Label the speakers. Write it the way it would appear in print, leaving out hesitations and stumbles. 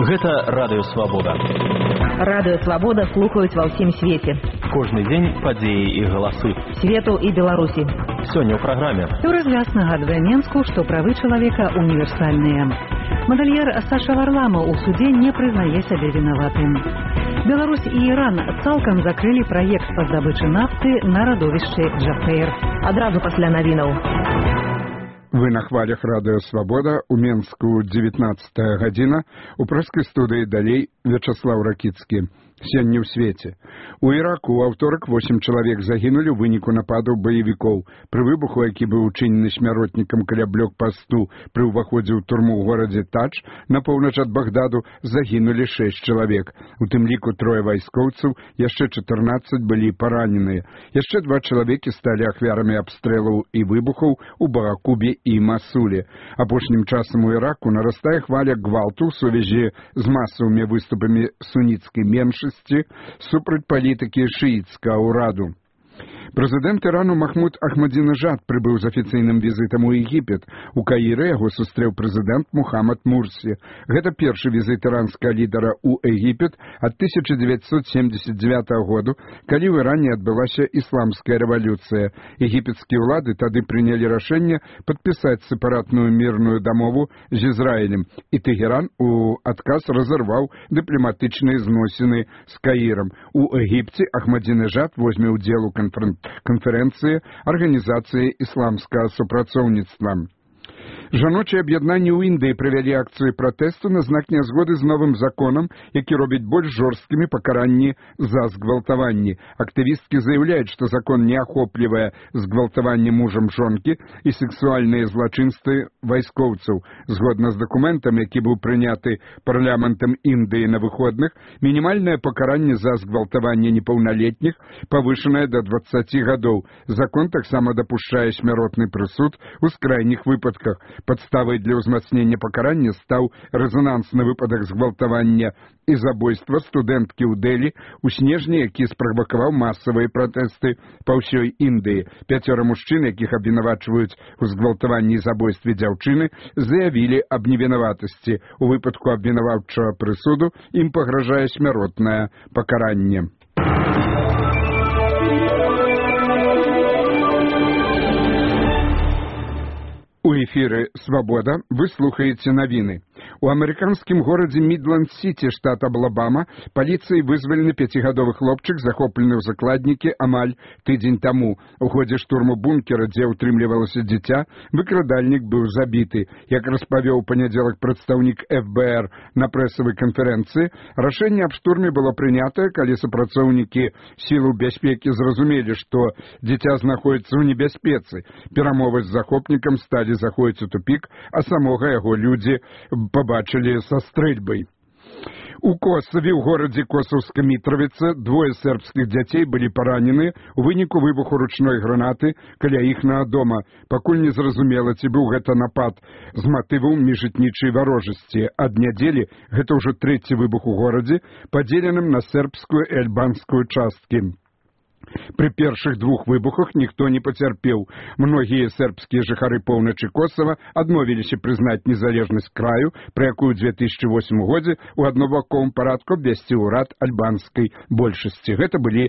Speaker 1: Гэта Радыё Свабода.
Speaker 2: Радыё Свабода слухаюць ва ўсім свеце.
Speaker 1: Кожны дзень падзеі і галасы.
Speaker 2: Свету і Беларусі.
Speaker 1: Сёння ў праграме.
Speaker 2: Еўразгляд нагадвае Менску, што правы чалавека універсальныя. Мадальер Саша Варламов у суде не прызнае сябе вінаватым. Беларусь і Іран цалкам закрылі праект па здабычы нафты на радовішчы Джафейр. Адразу пасля навінаў.
Speaker 3: Вы на хвалях Радыё Свабода, у Менску 19 гадзіна, у прэскай студыі далей Вячаслаў Ракіцкі. Сёння ў свеце. У Іраку ў аўторак 8 чалавек загінулі ў выніку нападаў баевікоў. Пры выбуху, які быў учынены смяротнікам каля блокпасту пры ўваходзе ў турму ў горадзе Тадж, на поўнач ад Багдаду, загінулі 6 чалавек. У тым ліку 3 вайскоўцаў, яшчэ 14 былі параненыя. Яшчэ 2 чалавекі сталі ахвярамі абстрэлаў і выбухаў у Багакубе і Масуле. Апошнім часам у Іраку нарастае хваля гвалту ў сувязі з масавымі выступамі суніцкай меншасці супраць палітыкі шыіцкага ўраду. Прэзідэнт Ірану Махмуд Ахмадзінежад прыбыў з афіцыйным візітам у Егіпет. У Каіры яго сустрэў прэзідэнт Мухаммад Мурсі. Гэта першы візіт іранскага лідара ў Егіпет ад 1979 году, калі ў Іране адбылася ісламская рэвалюцыя. Егіпетскія ўлады тады прынялі рашэнне падпісаць сепаратную мірную дамову з Ізраілем, і Тэгеран у адказ разарваў дыпламатычныя зносіны з Каірам. У Егіпце Ахмадзінежад возьме ўдзел у канферэнцыі Арганізацыі ісламскага супрацоўніцтва. Жаночыя аб'яднанні ў Індыі правялі акцыю пратэсту на знак нязгоды з новым законам, які робіць больш жорсткімі пакаранні за згвалтаванні. Актывісткі заяўляюць, што закон не ахоплівае згвалтаванне мужам жонкі і сексуальныя злачынствы вайскоўцаў. Згодна з дакументам, які быў прыняты парламентам Індыі на выходных, мінімальнае пакаранне за згвалтаванне непаўналетніх павышанае да 20 гадоў. Закон таксама дапушчае смяротны прысуд у скрайніх выпадках. Падставай для ўзмацнення пакарання стаў рэзанансны выпадак згвалтавання і забойства студэнткі ў Дэлі ў снежні, які справакаваў масавыя пратэсты па ўсёй Індыі. 5 мужчын, якіх абвінавачваюць у згвалтаванні і забойстве дзяўчыны, заявілі аб невінаватасці. У выпадку абвінаваўчага прысуду ім пагражае смяротнае пакаранне. У эфіры «Свабода» вы слухаеце навіны. У амерыканскім горадзе Мідланд-Сіці, штат Алабама, паліцыяй вызвалены 5гадовы хлопчык, захоплены ў закладнікі амаль тыдзень таму. У ходзе штурму бункера, дзе ўтрымлівалася дзіця, выкрадальнік быў забіты. Як распавёў у панядзелак прадстаўнік ФБР на прэсавай канферэнцыі, рашэнне аб штурме было прынятае, калі супрацоўнікі сілаў бяспекі зразумелі, што дзіця знаходзіцца ў небяспецы. Перамовы з захопнікам сталі заходзіць у тупік, а самога яго людзі побачылі са стрэльбай. У Косаве, ў горадзе Косаўска-Мітравіца, 2 сербскіх дзяцей былі паранены ў выніку выбуху ручной гранаты каля іхнага дома. Пакуль не зразумела, ці быў гэта напад з матываў міжэтнічай варожасці. Ад нядзелі гэта ўжо 3-й выбух у горадзе, падзеленым на сербскую і альбанскую часткі. Пры першых 2 выбухах ніхто не пацярпеў. Многія сербскія жыхары поўначы Косава адмовіліся прызнаць незалежнасць краю, пра якую ў 2008 годзе ў аднабаковым парадку абвясціў урад альбанскай большасці. Гэта былі